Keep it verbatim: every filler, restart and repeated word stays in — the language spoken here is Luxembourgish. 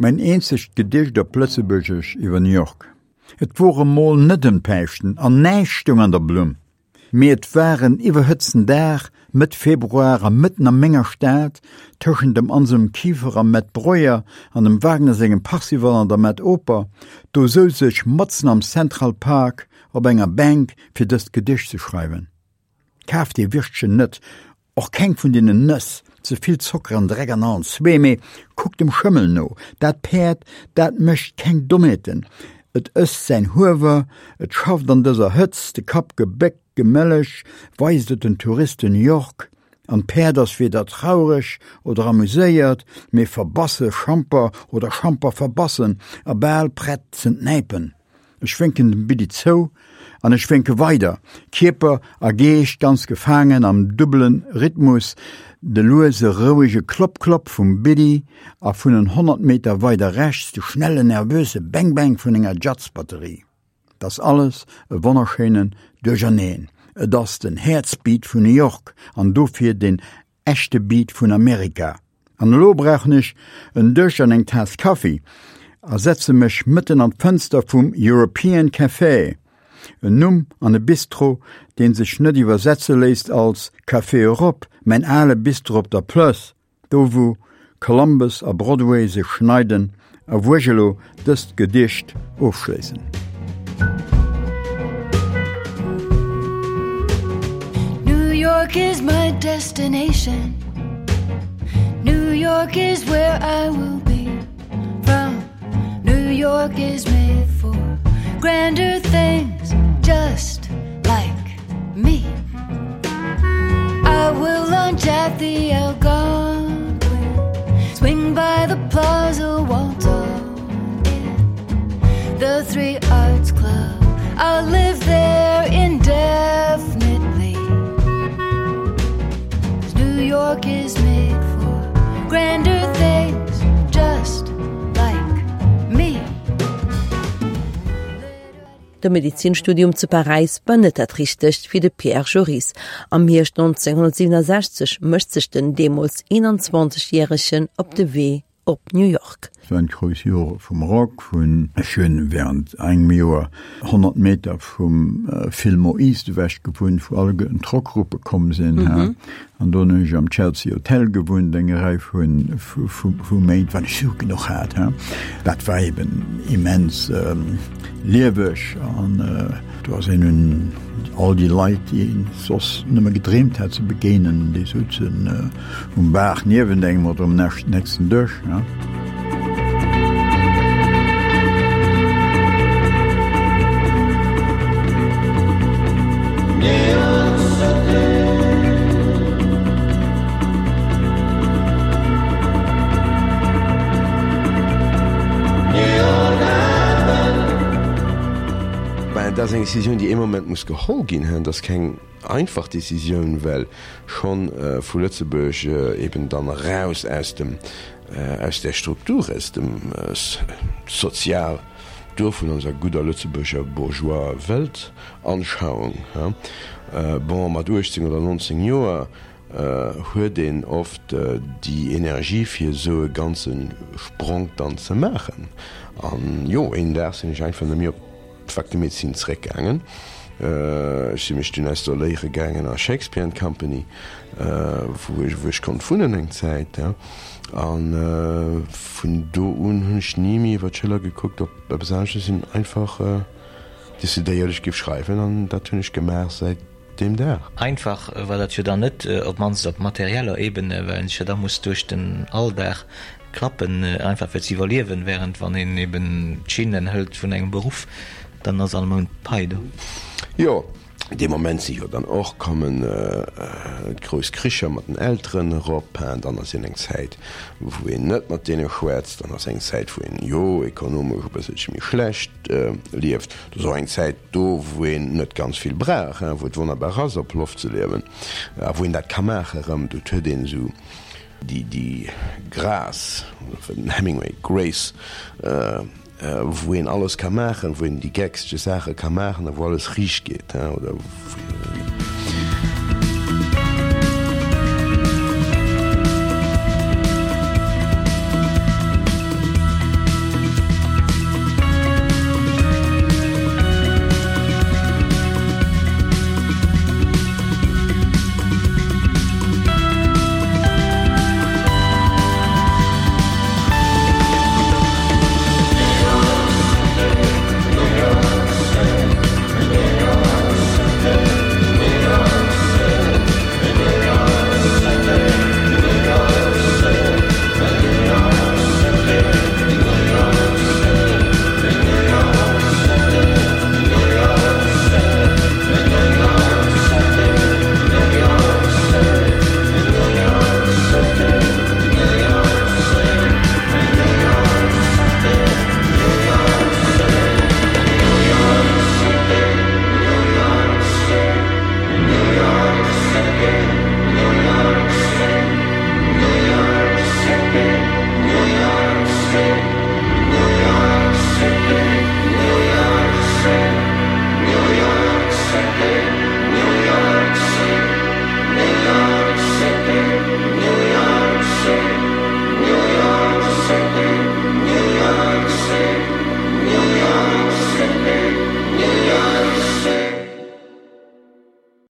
Mäin eenzegt Gedicht op Lëtzebuergesch iwwer New York. Et wor emol net ëm Päischten an näischt stoung an der Blumm. Mee et war en iwwerhëtzten Dag, Mëtt Februar a mëtten a menger Stad, tëschent dem Anselm Kiefer am Met Breuer an dem Wagner sengem Parsival an der Met Oper, do souz ech matzen am Central Park op enger Bänk fir dëst Gedicht ze schreiwen. Kaaft dee Würstchen net, och keng vun deenen Nëss, ze vill Zocker an Dreck an allen zwee, mee kuckt dem Schëmmel no, dat Päerd, dat mécht keng Dommheeten, et ësst säin Huewer, et schafft an dëser Hëtzt, de Kapp gebéckt, gemelleg weist et den Touristen New York, an d'Päerd ass weder traureg oder amuséiert, mee verbasse Schamper oder Schamper verbassen a bal prett z'entnäipen. Ech wénken dem Biddi zou an ech wénke weider, Kierper a Geescht ganz gefaangen am dubbele Rhythmus, de luese rouege Klopp-Klopp vum Biddi a vun en honnert Meter weider rechts de schnellen nervöse Bang-Bang vun enger Jazzbatterie. 't ass alles e wonnerschéinen Duercherneen. Et ass den Häerzbeat vun New York an dofir den echte Beat vun Amerika. An elo brauchen ech en Dësch an eng Taass Kaffi a setze mech mëtten an d'Fënster vum European Café, en Numm an e Bistro, dee sech net iwwersetze léisst als Café Europe, mäin ale Bistro op der Plëss, do wou Columbus a Broadway sech schneiden a wou ech elo dëst Gedicht ofschléissen. New York is my destination New York is where I will be from New York is made for grander things just like me I will lunch at the Algonquin Swing by the Plaza Walton The Three Arts Club I'll live there indefinitely 'Cause New York is made for grander things just like me. De Medizinstudium zu Paräis war net dat Richtegt fir de Pierre Joris. Am Hierscht neunzehnhundertsiebenundsechzeg mécht sech den deemools eenanzwanzeg Järegen op de Wee op New York. Et waren d'grouss Jore vum Rock, vun ech hunn während engem Joer honnert Meter vum Fillmore East ewech gewunnt, wou alleguerten d'Rockgruppe komm sinn, an do hunn ech am Chelsea Hotel gewunnt eng Rei vu Méint, well ech Sue genuch hat. Dat war eben immens lieweg an do ass een un all déi Leit, déi een soss nëmme gedreemt hat ze begéinen, déi souzen um Bar niewent engem oder um nächsten Dësch. Ben, dat ass eng Decisioun, déi ee Moment muss geholl ginn. Dat ass keng einfach Decisioun, well schonn vu Lëtzebuerg eben dann eraus aus dem, aus där Struktur, aus dem Sozial do vun onser gudder Lëtzebuerger bourgeois Weltanschauung. Bon, mat uechtzéng oder nonzéng Joer huet een oft déi Energie fir esou e ganze Spronk dann ze maachen. An jo, een Dag sinn ech einfach net méi op d'Fac de Médecine zeréckgaangen. Ech si mech dunn installéiere gaangen a Shakespeare and Company, wou ech wou ech konnt wunnen eng Zäit. A vun do un hunn ech ni méi iwwer d'Schëller gekuckt op eppes anescht. Ech sinn einfach decidéiert, ech géif schreiwen an dat hunn ech gemaach säit deem Dag. Einfach war dat jo dann net, op d'mannst op materieller Ebene, well een sech jo da muss duerch den Alldag klappen, einfach fir ze iwwerliewen, während wann een eben d'Schinnen hëlt vun engem Beruff, dann ass all Mount d'Pai do. Jo, dee Moment si jo dann och kommen d'grouss Kricher mat den Elteren erop. Dann ass een eng Zäit, wou een net mat deene schwätzt. Dann ass eng Zäit, wou een, jo, ekonomesch e bësselche méi schlecht lieft. Et ass och eng Zäit do, wou een net ganz vill brauch, wou et wonnerbar ass, op Loft ze liewen a wou een dat ka maachen erëm. Do huet een esou déi Grâce, den Hemingway, Grace, wou een alles ka maachen, wou een déi geckste Saache ka maachen a wou alles riicht geet, oder York.